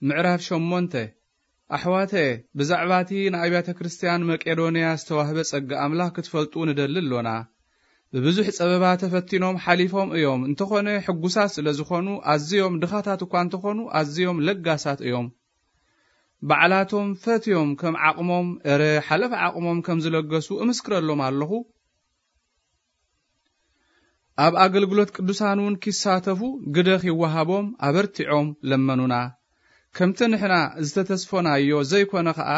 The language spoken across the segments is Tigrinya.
ምዕራፍ ሸሞንተ። ኣሕዋተ፣ ብዛዕባ እቲ ንኣብያተ ክርስቲያን መቄዶንያ ዝተዋህበ ጸጋ ኣምላኽ ክትፈልጡ ንደሊ ኣሎና። ብብዙሕ ጸበባ ተፈቲኖም ሓሊፎም እዮም። እንተኾነ ሕጉሳት ስለ ዝኾኑ፣ ኣዝዮም ድኻታት እኳ እንተኾኑ፣ ኣዝዮም ለጋሳት እዮም። ባዕላቶም ፈትዮም ከም ዓቕሞም፣ እረ ሓለፍ ዓቕሞም ከም ዝለገሱ እምስክረሎም ኣለኹ። ኣብ ኣገልግሎት ቅዱሳን እውን ኪሳተፉ ግደ ኺወሃቦም ኣበርቲዖም ለመኑና። ከምቲ ንሕና ዝተተስፎናዮ ዘይኮነ ኸኣ፣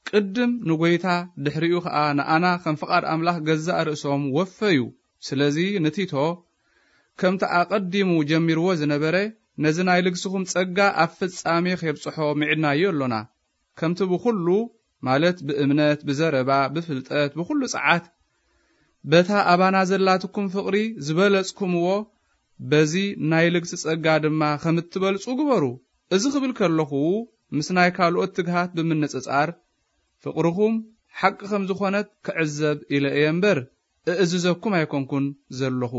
ቅድም ንጐይታ፣ ድሕሪኡ ኸኣ ንኣና ከም ፍቓድ ኣምላኽ ገዛእ ርእሶም ወፈዩ። ስለዚ ንቲቶ፣ ከምቲ ኣቐዲሙ ጀሚርዎ ዝነበረ፣ ነዚ ናይ ልግስኹም ጸጋ ኣብ ፍጻሜ ኼብጽሖ ምዒድናዮ ኣሎና። ከምቲ ብኹሉ፣ ማለት ብእምነት፣ ብዘረባ፣ ብፍልጠት፣ ብኹሉ ጸዓት፣ በታ ኣባና ዘላትኩም ፍቕሪ ዝበለጽኩምዎ፣ በዚ ናይ ልግሲ ጸጋ ድማ ከም እትበልጹ ግበሩ። እዚ ክብል ከለኹ፣ ምስ ናይ ካልኦት ትግሃት ብምንጽጻር፣ ፍቕርኹም ሓቂ ከም ዝኾነት ክዕዘብ ኢለ እየ እምበር፣ እእዝዘኩም ኣይኮንኩን ዘለኹ።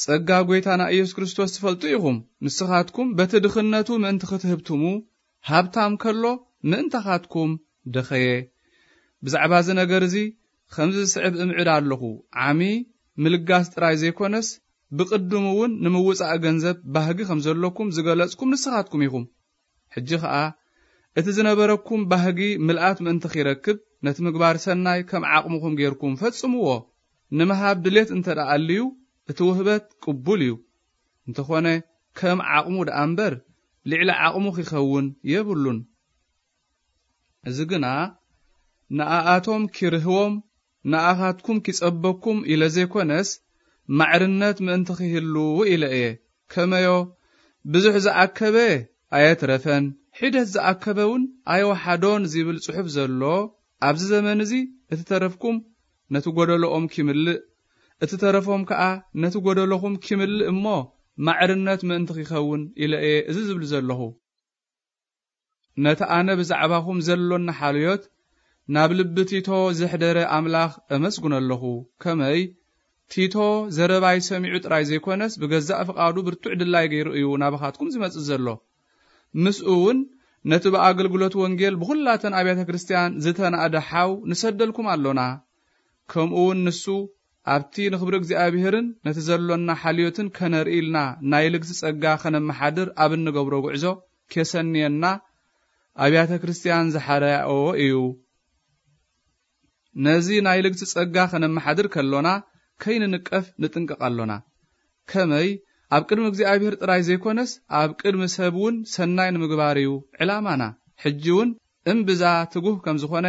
ጸጋ ጐይታና ኢየሱስ ክርስቶስ ትፈልጡ ኢኹም። ንስኻትኩም በቲ ድኽነቱ ምእንቲ ክትህብትሙ፣ ሃብታም ከሎ ምእንታኻትኩም ደኸየ። ብዛዕባ እዚ ነገር እዚ ከምዚ ዝስዕብ እምዕድ ኣለኹ። ዓሚ ምልጋስ ጥራይ ዘይኮነስ፣ ብቕድሙ እውን ንምውጻእ ገንዘብ ባህጊ ከም ዘለኩም ዝገለጽኩም ንስኻትኩም ኢኹም። ሕጂ ኸኣ፣ እቲ ዝነበረኩም ባህጊ ምልኣት ምእንቲ ኺረክብ፣ ነቲ ምግባር ሰናይ ከም ዓቕምኹም ጌርኩም ፈጽምዎ። ንምሃብ ድሌት እንተ ደኣ ኣልዩ፣ እቲ ውህበት ቅቡል እዩ። እንተኾነ፣ ከም ዓቕሙ ደኣ እምበር፣ ልዕሊ ዓቕሙ ኺኸውን የብሉን። እዚ ግና፣ ንኣኣቶም ኪርህዎም፣ ንኣኻትኩም ኪጸበኩም ኢለ ዘይኮነስ፣ ማዕርነት ምእንቲ ኺህሉ ኢለ እየ። ከመዮ፣ ብዙሕ ዝኣከበ ኣየትረፈን፣ ሒደት ዝኣከበ እውን ኣየወሓዶን ዚብል ጽሑፍ ዘሎ ኣብዚ ዘመን እዚ፣ እቲ ተረፍኩም ነቲ ጐደሎኦም ኪምልእ፣ እቲ ተረፎም ከኣ ነቲ ጐደሎኹም ኪምልእ እሞ፣ ማዕርነት ምእንቲ ኺኸውን ኢለ እየ እዚ ዝብል ዘለኹ። ነቲ ኣነ ብዛዕባኹም ዘሎኒ ሓልዮት ናብ ልቢ ቲቶ ዘሕደረ ኣምላኽ እመስግኖ ኣለኹ። ከመይ? ቲቶ ዘረባይ ሰሚዑ ጥራይ ዘይኮነስ፣ ብገዛእ ፍቓዱ ብርቱዕ ድላይ ገይሩ እዩ ናባኻትኩም ዝመጽእ ዘሎ። ምስኡ እውን ነቲ ብኣገልግሎት ወንጌል ብኹላተን ኣብያተ ክርስቲያን ዝተናእደ ሓው ንሰደልኩም ኣሎና። ከምኡ እውን ንሱ ኣብቲ ንኽብሪ እግዚኣብሔርን ነቲ ዘሎና ሓልዮትን ከነርኢ ኢልና ናይ ልግሲ ጸጋ ኸነመሓድር ኣብ እንገብሮ ጉዕዞ ኬሰንየና ኣብያተ ክርስቲያን ዝሓረያኦ እዩ። ነዚ ናይ ልግሲ ጸጋ ኸነመሓድር ከሎና ከይንንቀፍ ንጥንቀቕ ኣሎና። ከመይ? ኣብ ቅድሚ እግዚኣብሔር ጥራይ ዘይኮነስ፣ ኣብ ቅድሚ ሰብ እውን ሰናይ ንምግባር እዩ ዕላማና። ሕጂ እውን እምብዛ ትጉህ ከም ዝኾነ፣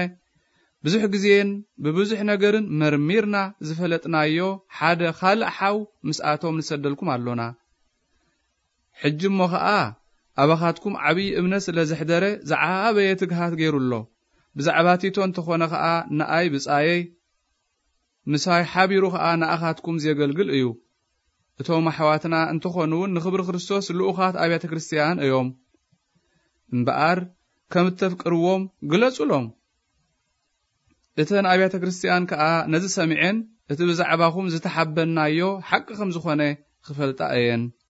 ብዙሕ ግዜን ብብዙሕ ነገርን መርሚርና ዝፈለጥናዮ ሓደ ካልእ ሓው ምስኣቶም ንሰደልኩም ኣሎና። ሕጂ እሞ ኸኣ፣ ኣባኻትኩም ዓብዪ እምነት ስለ ዘሕደረ፣ ዝዓበየ ትግሃት ገይሩ ኣሎ። ብዛዕባ ቲቶ እንተኾነ ኸኣ፣ ንኣይ ብጻየይ፣ ምሳይ ሓቢሩ ኸኣ ንኣኻትኩም ዜገልግል እዩ። እቶም ኣሕዋትና እንተኾኑ እውን፣ ንኽብሪ ክርስቶስ ልኡኻት ኣብያተ ክርስቲያን እዮም። እምበኣር፣ ከም እተፍቅርዎም ግለጹሎም። እተን ኣብያተ ክርስቲያን ከኣ ነዚ ሰሚዐን፣ እቲ ብዛዕባኹም ዝተሓበንናዮ ሓቂ ከም ዝኾነ ክፈልጣ እየን።